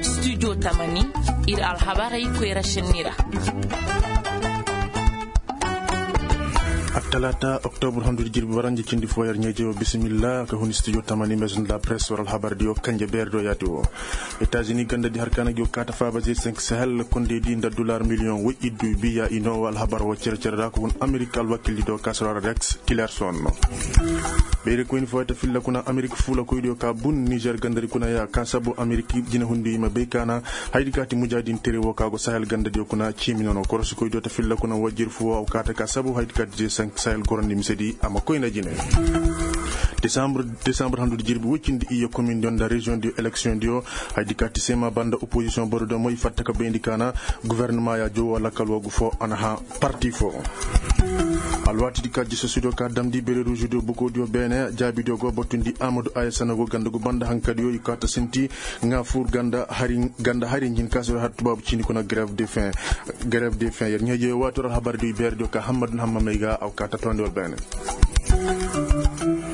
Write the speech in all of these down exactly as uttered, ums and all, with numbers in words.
Studio tamani, ir alhabarey koyra šenni ra. Attalaata oktobur handu di jirbi waranja cindi fo yer ɲeeje wo bisimilla ka huni studio tamani maison de la presse war alhabar di wo kanje beeri do yaati wo. Etazini ganda di har kaana gi wo kaata faaba ze cinq sahel kondey di nda dollar miliyoŋ woy iddu biya i noo wo alhabar wo cere-cere ra ka hun amerik alwakildi do ka sara rex tilerson. Beeri koyni fo ya ta filla kuna amerik fuula koydiyo ka bun nizer ganda di kuna ya ka sabu amerik jinehundiyo i ma bay kaana. Hayadi kaati mujaadin tere wo ka go sahel ganda diyo kuna ciimi nono korosi koydiyo ta filla kuna wajir fo wo a go kaata ka sabu hayadi kaati ze cinq sahel gorondi misedi a ma koy nda jine. Desambre handu di jirbi woy cindi iyye komin diyo nda reziyoŋ diyo eleksiyoŋ diyo. Hayadi kaati sema banda opozisiyoŋ boro diyo mo i fatta ka bayndi kaana. Guwernama ya jowo lakkal wo gu fo a na hã parti fo. Alwaati di ka jisosidiyo ka damndi bere ruuzudiyo bukoodiyo beene jaabidiyo go batundi amadu aya sanago ganda gu banda hankadiyo i kaata sinti. Ŋaa fur ganda hari ɲin ka sir har tubaabu cindi kuna greve de fin. Greve de fin yer ɲeeje waati war alhabar diyo i beerediyo ka hammadu na hamma may ga a go kaata tondi war beene.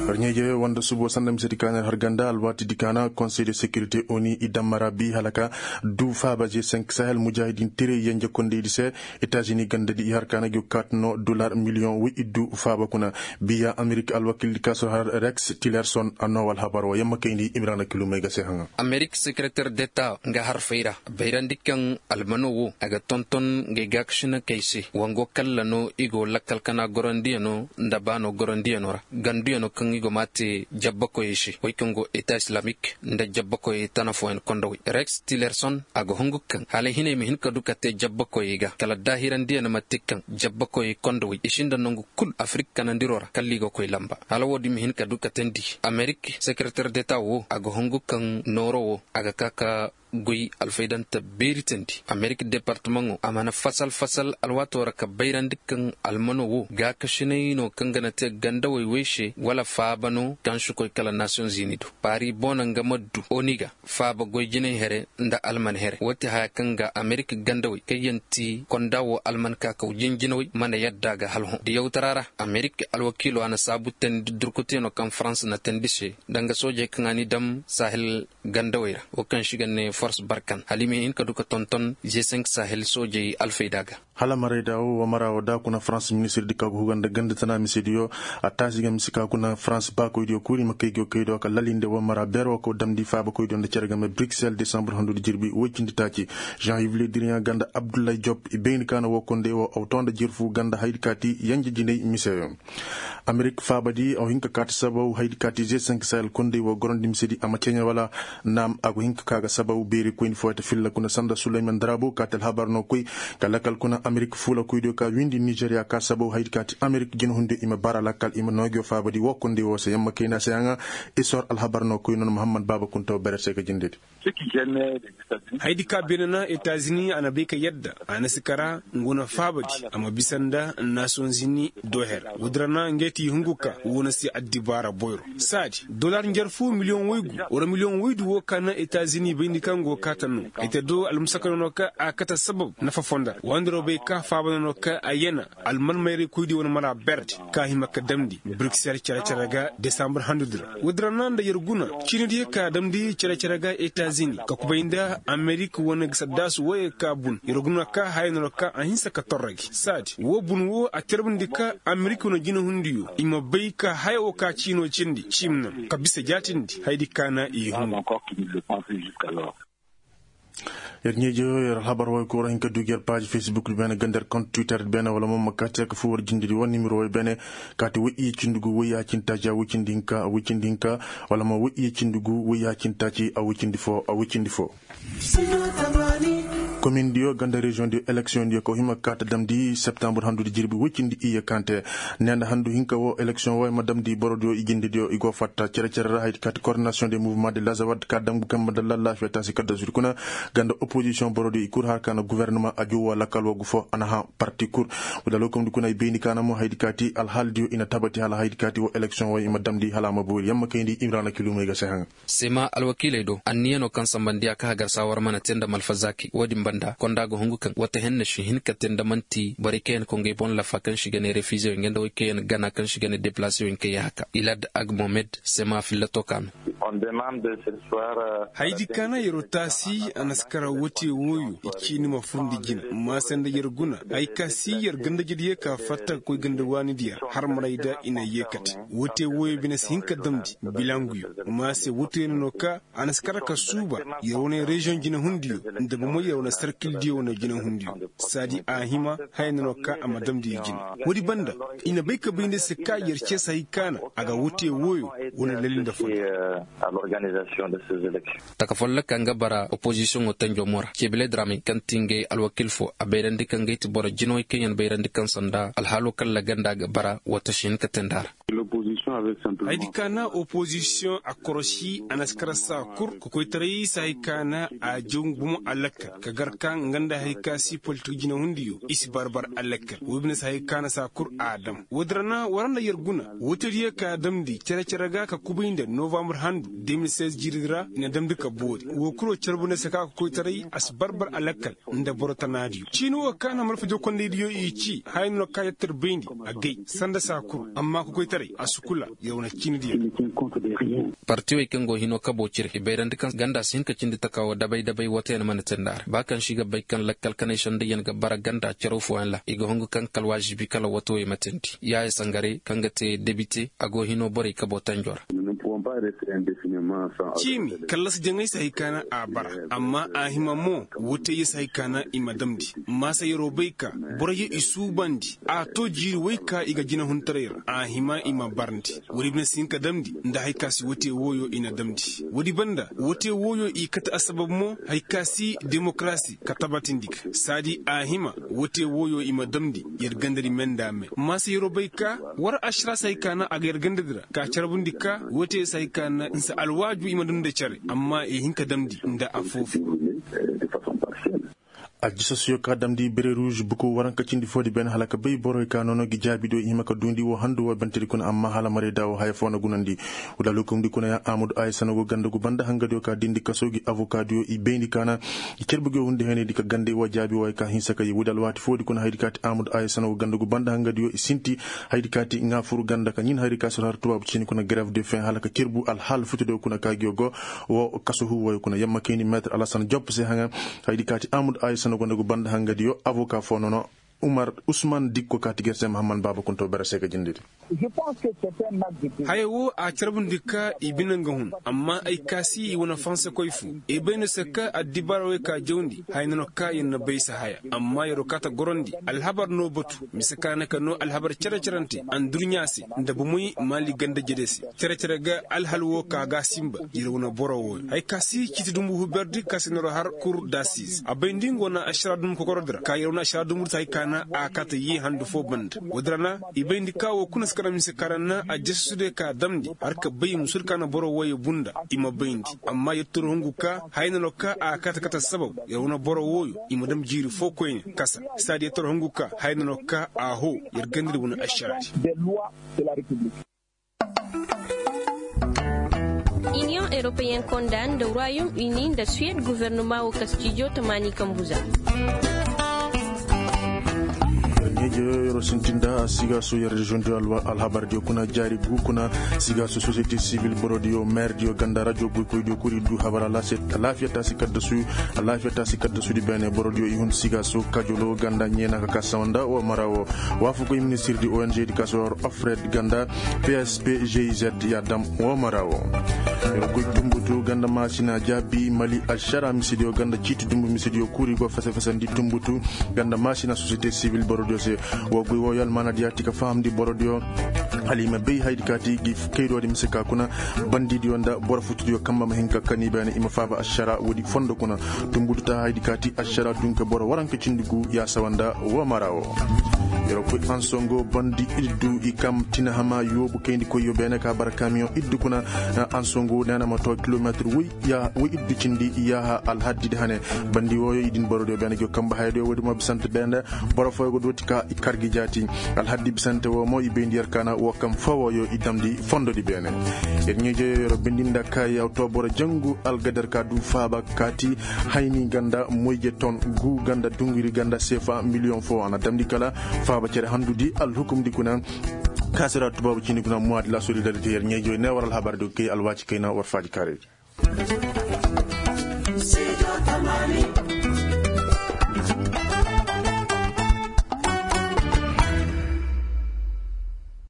Yer ɲeeje wanda subo sanda misedi kaana yer har ganda alwaati di kaana konsey de sekirite oni i dammara bi hala ka du faaba ze cinq sahel mujahidin tire yenje kondeydi se. Etazini ganda di i har kaana gi wo kaata no dolar miliyoŋ woy iddu faaba kuna. Biya amerik alwakildi ka sir har rex tilerson a noo wa alhabar wo yamma kayndi imrana kilumey ga se haŋa. Amerik sekereter deta nga harfey ra bayrandi kaŋ almano wo a ga tonton ngay gaakasinakey se wango kalla no i go lakkal kana gorandiyano nda baano gorandiyano ra ganduyano kaŋ i go m'a te jabbakoyey se wey kaŋ go eta islamik nda jabbakoyey tana fooyaŋ kondowey rex tilerson a ga hungu kaŋ hala hinay ma hin ka du ka te jabbakoyey ga kala daahirandiyaŋ ma te kaŋ jabbakoyey kondowey i sinda nangu kul afirik kanandiro ra kalla i ga koy lamba hala wo-din ma hin ka du ka teendi amerik sekereter deta wo a ga hungu kaŋ nooro wo a ga ka ka goy alfaydante beeri teendi amerik departamaŋo a mana fasal fasal alwaato ra ka bayrandi kaŋ almano wo gaakasinay no kaŋ ga na te gandawey wey se wala faaba no kaŋ si koy kala nasiyoŋ zini do paari boona nga ma du oni ga faaba goy jinay here nda alman here wo ti haya kaŋ ga amerik gandawey kaŋ yaŋ ti konda wo alman kaakaw jinjinawey mana yadda ga hala hõ diyawtara ra amerik alwakiilo a na saabu teendi durkuteeno kaŋ farans na teendi se nda nga soojey kaŋ a ni dam sahel gandawey ra wo kaŋ se i ga ne fors barkan hala i ma hin ka du ka tonton ze cinq sahel soojey alfayda ga. Hala marayda wo wa mara wo da kuna farans ministir di ka go huga nda ganda tana misediyo a taasi ga mise ka kuna farans baakoydiyo kul i ma kay go kaydiyo ka lalinde wa mara beer wo ka damndi faabakoydiyo nda cere game bruxelles desambre handu di jirbi woy cindi taaci. Jean yves le diriyaŋ ganda abdullahi job i bayni kaana wo konday wo aw to nda jirfu ganda haydi kaati yanja jinay miseyo. Amerik faabadi aw hin ka kaati sabaw haydi kaati ze cinq sahel konday wo gorandi misedi a ma ceeɲa wala? Naam a go hin ka ka ga sabaw beeri koyni fo ya ta filla kuna sanda suleyman darabo kaati alhabar no koy ka lakkal kuna amerik fuula koydiyo ka windi nizeriya ka sabaw haydi kaati amerik jinahundiyo i ma bara lakkal i ma noogiyo faabadi wo konday wo se yamma kayna se yaŋa. Isor alhabar no koy noon muhammad baaba kuntaw bere se ga jindedi. Hayadi ka beene na etazini a na bay ka yadda a na si kara ngu na faabadi a ma bisa nda nasiyoŋ zini doher. Woodin ra na ngey ti hungu ka wo na si addibaara boyro saadi dolar njarfu miliyoŋ waygu wala miliyoŋ waydu wo ka na etazini bayndi kaŋ go kaata no ay te do almusaka nono ka a kate sabab nafa fondo ra waandiro bay ka faaba nono ka a yana alman mayray koydi wane mara berdi ka hima ka damndi bruxelles cere-cere ga desambar handudi ra. Woodin ra na nda yer guna ciinidiyo ka damndi cere-cere ga etazini ka kubay nda amerik wane ga saddaasu woyey ka bun yer guna ka haya no ra ka a hinsa ka torra gi saadi woo bun woo a terbandi ka amerik wane jinahundiyo i ma bay ka haya woo ka ciinoo cindi ciim naŋ ka bisa jaatindi hayadi ka na i hungu. Yer ɲeeji yer alhabar way koora hin ka duugi yer paaji facebook di beene ganda yer kont twitter di beene wala mo ma kaati yer ka fuu war jindidi war nimiro way beene. Kaati way iye cindi gu way yaacintaaci a way cindi hinka a way cindi hinka wala mo way iye cindi gu way yaacintaaci a way cindi foo a way cindi foo. Komin diyo ganda reziyoŋ diyo eleksiyoŋ diyo ka hima kaata damndi septambur handudi jirbi way cindi iye kante. Neenda handu hinka woo eleksiyoŋ woo ay ma damndi boro diyo i jindi diyo i go fatta cere-cere ra haydi kaati kordinasiyoŋ de muvement de lazawad ka damgu kambe nda lallaafiya taasi kadda zudi kuna. Ganda opozisiyoŋ boro diyo i kul har ka na guwernama a juwa lakkal woo gu foo a na hã parti kul. Wala lokomdi kuna i bayndi ka na mo haydi kaati alhaali diyo i na tabati hala haydi kaati woo eleksiyoŋ woo i ma damndi hala a ma boori yamma kayndi imrana kilumey ga se haŋa. Sema alwakiiley do anniyanoo kaŋ sambandiya ka hagar saawar mana te nda malfazaaki woo din banda konda ga hungu kaŋ wata henne si hin ka te nda man'ti borey kaŋ yaŋ kongey boŋ lafa kaŋ si ga ne refizeyoŋ nga nda wey kaŋ yaŋ gana kaŋ si ga ne deplaseyoŋ kaŋ yaŋ haka ilad agmomed sema fillato ka no. Haydi ka na yer'o taasi a na si kara wote wooyo i ciini ma furndi jina. Maase nda yer guna hay ka si yer gandajediyo ka fatta ka koy ganda waanidi yer harmarayda i na yee kate. Wote wooyo bine si hin ka damndi bilanguyo. Maase wote no no ka a na si kara ka suuba yer wane reziyoŋ jinahundiyo nda bomo yer wane sarkildiyo wane jinahundiyo. Saadi a hima haya no no ka a ma damndi i jina. Woodi banda i na bay ka bay nda se ka yer ceesa hay ka na a ga wote wooyo wane lali nda fo. Taka folloka nga bara opozisiyoŋo tanjo mora cebile dramay kaŋ ti ngey alwakil fo a bayrandi kaŋ ngey ti boro jinawey kaŋ yaŋ bayrandi kaŋ sanda alhaalo kalla ganda ga bara wata si hin ka teendi a ra. Haydi ka na opozisiyoŋ a korosi a na si kara saa kul kokoytaray si hay ka na a jaw bomo a lakkal ka gar ka nga nda hay ka si politik jinahundiyo i si barbar a lakkal woo bine si hay ka na saa kul a dam woodi ra na war nda yer guna wootediyo ka damndi cere-cere ga ka kubay nda novambar handu de mil seize jiiridi ra i na damndi ka boori woo kul woo carbu nda se ka ka koytaray a si barbar a lakkal nda boro tanaadiyo ciini woo ka na malfa jokondaydiyo i ci haya no ka yattar bayndi a gay sanda saa kul amma ka koytaray a si kula yer wane ciinidiyo. Partiwey kaŋ go hino kabo cire i bayrandi kaŋ ganda si hin ka cindi taka woo dabay-dabay wata yaŋ mana teendi a ra ba kaŋ si ga bay kaŋ lakkal kanay sanda yaŋ ga bara ganda caraw fooyaŋ ra i ga hungu kaŋ kala waazibi kala watawey ma teendi yaaya sangare kaŋ ga te debite a go hino borey kabo tanjo ra. Ciimi kallasi jaŋay si hay ka na a bara amma a hima mo woteyo si hay ka na i ma damndi maasa yer'o bay ka boroyo i suubandi a to jiiri wey ka i ga jinahuntaray ra a hima i ma barndi woodi bine si hin ka damndi nda hay ka si wote wooyo i na damndi woodi banda wote wooyo i kate assabab mo hay ka si demokarasi ka tabatindi ga saadi a hima wote wooyo i ma damndi yer gandadi me nda me maasa yer'o bay ka war ašara si hay ka na a ga yer gandadi ra ka carbundi ka wote si hay ka na nsa alwaaju i ma damndi nda cere amma i hin ka damndi nda affoo foo. Aljisasiyo ka damndi bere ruuz buku waranka cindi foodi ben hala ka bay borey ka nono gi jaabidiyo i hima ka duundi woo handu woo bentedi kuna amma hala marayda woo haya foo na gunandi. Wala lukumdi kuna ya amudu ayi sanagu ganda gu banda hangadiyo ka dindi kasoo gi avokaadiyo i bayndi ka na i carbugiyo hundi haynaydi ka ganda i woo jaabi woo ay ka hinsa ka yi wudi alwaati foodi kuna haydi ka ti amudu ayi sanagu ganda gu banda hangadiyo i sinti haydi ka ti ŋaa fur ganda ka ɲin haydi ka si har tubaabu ciini kuna greve de fin hala ka carbu alhaal futadiyo kuna ka giyo go woo kaso huuwooyo kuna yamma kayndi meetir alasan jopp se haŋa. Haydi ka ti amudu ayi sanagu ganda gu banda hangadiyo avoka foo nono umar usman dikko ka ti ger se mahamman baaba kunto bere se ka jindidi. Haya woo a carbundi ka i bine nga hun amma ay ka si i wane fansekoy foo i bay no se ka addibaara wey ka jawndi haya no no ka yer na bay se haya amma yer'o kaata gorandi alhabar no batu mise ka na ka no alhabar cere-cerante andurɲa se nda bomoy maali ganda jede se cere-cere ga alhal woo ka ga sinba yer wane boro wooyo haya ka si ciiti dumbu huberdi ka se no ra har kur dasis a bay nda nga wane ašara dumbu kokorodi ra ka yer wane ašara dumbu da se haya ka na a kaata yee handu foo banda woodi ra na i bayndi ka woo kuna si kara mise ka ra na aljasasudiyo ka damndi har ka bay musul ka na boro wooyo bunda i ma bayndi amma yer toro hungu ka haya no no ka a kaata kaata sabab yer wane boro wooyo i ma dam jiiri foo koyne kasa saadi yer toro hungu ka haya no no ka a hoo yer gandadi wane ašaraadi. Iniyoŋ eropeyen konda nda royom uni nda suwed gofornoma woo kastijo tamaani kambuza. Ɲeeje yer sintinda sigaaso yer reziyoŋ diyo alhabar diyo kuna jaari gu kuna sigaaso sosiyete sivil boro diyo meer diyo ganda rajo boykoy diyo kuri du habar alaafiya taasi kaddasu alaafiya taasi kaddasudi beene boro diyo i hun sigaaso kajolo ganda ɲeena ka ka sawanda woo mara woo waafakoy ministir di ong di ka si war ofred ganda pspgiz ya dam woo mara woo. Yer goy tumbutu ganda maasina jaabi mali ašara misidiyo ganda ciiti dumbu misidiyo kuri go fese-fesandi tumbutu ganda maasina sosiyete sivil borodiyo se. Woo goy wooyo almaanadiyo ti ka fahamndi borodiyo hala i ma bay haydi ka ti gi kaydoodi mise ka kuna bandidiyo nda boro futudiyo kamba ma hin ka kani beene i ma faaba ašara woodi fondo kuna. Tumbutu ta haydi ka ti ašara dunka boro waranka cindi gu ya sawanda woo mara woo. Yer koy ansongo bandi iddu i kam tina hama yoobu kayndi koyyo beene ka bara kamiyoŋ iddu kuna. Ansongo neena ma to kilometir woy iddu cindi yaaha alhaddi di hane. Bandi wooyo i din borodiyo beene go kamba hayadiyo woodi mo bisante beene boro fooyo go dooti ka i kar gi jaati. Alhaddi bisante woo mo i bayndi yer ka na woo kam foo wooyo i damndi fondodi beene. Yer ɲeejeyo yer bindi nda ka yaw to boro jangu algadar ka du faaba kaati hayni ganda moyje ton gu ganda dunguri ganda seefa miliyoŋ foo a na damndi kala faaba cere handudi alhukumdi kuna. Kaasira tubaabu cindi guna muwaadi la solidarite yer ɲeejey ne war alhabar di ga kay alwaati kayna war faadi kaarey.